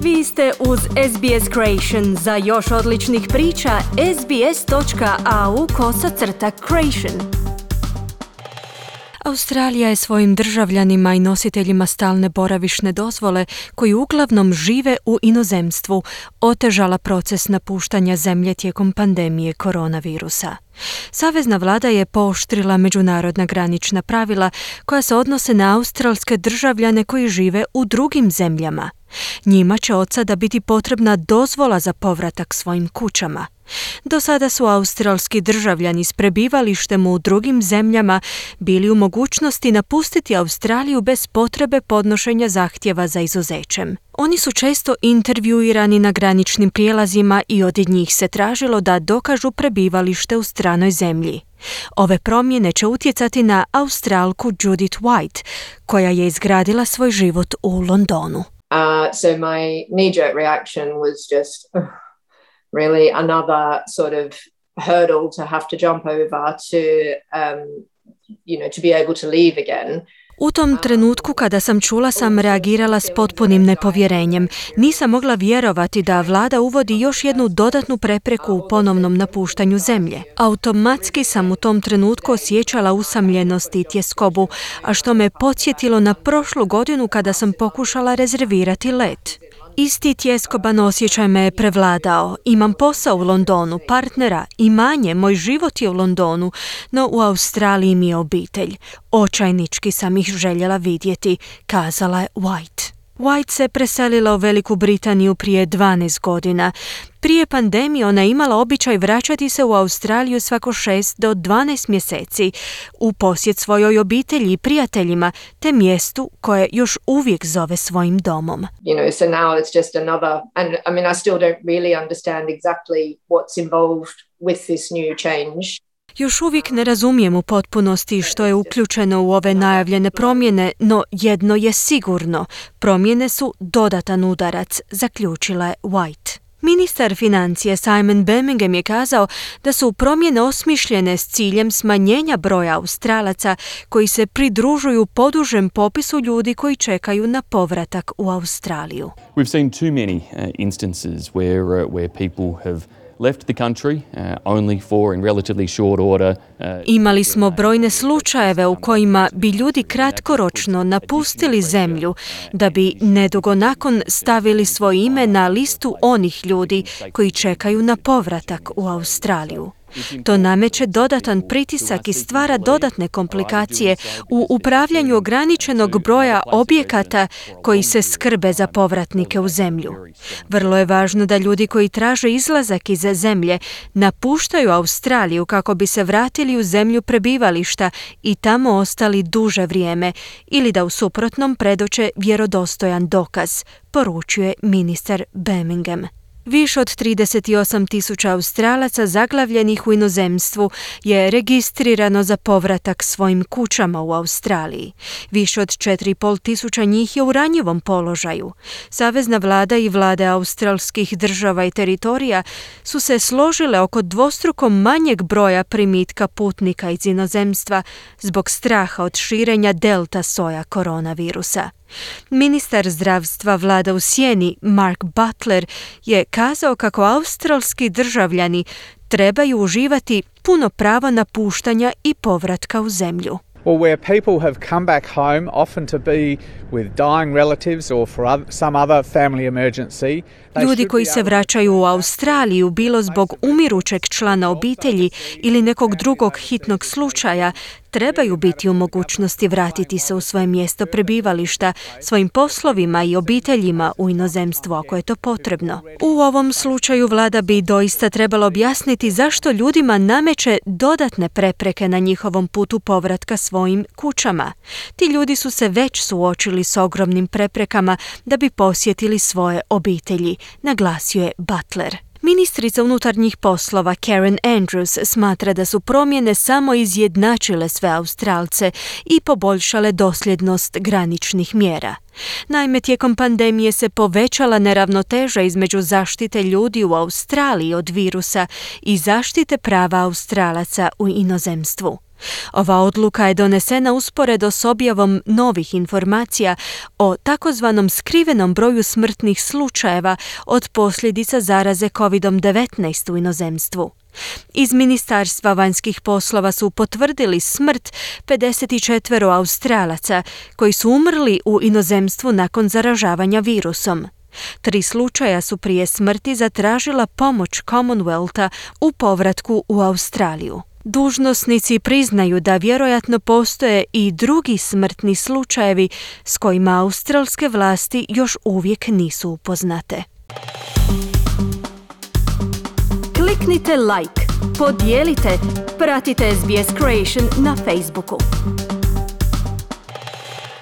Vi ste uz SBS Creation. Za još odličnih priča, sbs.au/creation. Australija je svojim državljanima i nositeljima stalne boravišne dozvole, koji uglavnom žive u inozemstvu, otežala proces napuštanja zemlje tijekom pandemije koronavirusa. Savezna vlada je pooštrila međunarodna granična pravila koja se odnose na australske državljane koji žive u drugim zemljama. Njima će od sada biti potrebna dozvola za povratak svojim kućama. Do sada su australski državljani s prebivalištem u drugim zemljama bili u mogućnosti napustiti Australiju bez potrebe podnošenja zahtjeva za izuzećem. Oni su često intervjuirani na graničnim prijelazima i od njih se tražilo da dokažu prebivalište u stranoj zemlji. Ove promjene će utjecati na Australku Judith White, koja je izgradila svoj život u Londonu. So my knee-jerk reaction was just really another sort of hurdle to have to jump over to be able to leave again. U tom trenutku kada sam čula sam reagirala s potpunim nepovjerenjem. Nisam mogla vjerovati da vlada uvodi još jednu dodatnu prepreku u ponovnom napuštanju zemlje. Automatski sam u tom trenutku osjećala usamljenost i tjeskobu, a što me podsjetilo na prošlu godinu kada sam pokušala rezervirati let. Isti tjeskoban osjećaj me je prevladao. Imam posao u Londonu, partnera, imanje, moj život je u Londonu, no u Australiji mi je obitelj. Očajnički sam ih željela vidjeti, kazala je White. White se preselila u Veliku Britaniju prije 12 godina. Prije pandemije ona je imala običaj vraćati se u Australiju svako 6 do 12 mjeseci u posjet svojoj obitelji i prijateljima te mjestu koje još uvijek zove svojim domom. So now it's just another, and I mean I still don't really understand exactly what's involved with this new change. Još uvijek ne razumijem u potpunosti što je uključeno u ove najavljene promjene, no jedno je sigurno. Promjene su dodatan udarac, zaključila je White. Ministar financije Simon Birmingham je kazao da su promjene osmišljene s ciljem smanjenja broja Australaca koji se pridružuju podužem popisu ljudi koji čekaju na povratak u Australiju. We've seen too many instances where people have left the country only for in relatively short order. Imali smo brojne slučajeve u kojima bi ljudi kratkoročno napustili zemlju da bi nedugo nakon stavili svoje ime na listu onih ljudi koji čekaju na povratak u Australiju. To nameće dodatan pritisak i stvara dodatne komplikacije u upravljanju ograničenog broja objekata koji se skrbe za povratnike u zemlju. Vrlo je važno da ljudi koji traže izlazak iz zemlje napuštaju Australiju kako bi se vratili u zemlju prebivališta i tamo ostali duže vrijeme ili da u suprotnom predoče vjerodostojan dokaz, poručuje ministar Birmingham. Više od 38.000 Australaca zaglavljenih u inozemstvu je registrirano za povratak svojim kućama u Australiji. Više od 4.500 njih je u ranjivom položaju. Savezna vlada i vlade australskih država i teritorija su se složile oko dvostruko manjeg broja primitka putnika iz inozemstva zbog straha od širenja delta soja koronavirusa. Ministar zdravstva vlada u sjeni Mark Butler je kazao kako australski državljani trebaju uživati puno pravo napuštanja i povratka u zemlju. Well, where people have come back home, often to be with dying relatives or for some other family emergency. Ljudi koji se vraćaju u Australiju bilo zbog umirućeg člana obitelji ili nekog drugog hitnog slučaja, trebaju biti u mogućnosti vratiti se u svoje mjesto prebivališta, svojim poslovima i obiteljima u inozemstvu ako je to potrebno. U ovom slučaju vlada bi doista trebala objasniti zašto ljudima nameće dodatne prepreke na njihovom putu povratka svojim kućama. Ti ljudi su se već suočili s ogromnim preprekama da bi posjetili svoje obitelji, naglasio je Butler. Ministrica unutarnjih poslova Karen Andrews smatra da su promjene samo izjednačile sve Australce i poboljšale dosljednost graničnih mjera. Naime, tijekom pandemije se povećala neravnoteža između zaštite ljudi u Australiji od virusa i zaštite prava Australaca u inozemstvu. Ova odluka je donesena usporedo s objavom novih informacija o takozvanom skrivenom broju smrtnih slučajeva od posljedica zaraze COVID-19 u inozemstvu. Iz Ministarstva vanjskih poslova su potvrdili smrt 54 Australaca koji su umrli u inozemstvu nakon zaražavanja virusom. 3 slučaja su prije smrti zatražila pomoć Commonwealtha u povratku u Australiju. Dužnosnici priznaju da vjerojatno postoje i drugi smrtni slučajevi s kojima australske vlasti još uvijek nisu upoznate. Kliknite like, podijelite, pratite SBS Creation na Facebooku.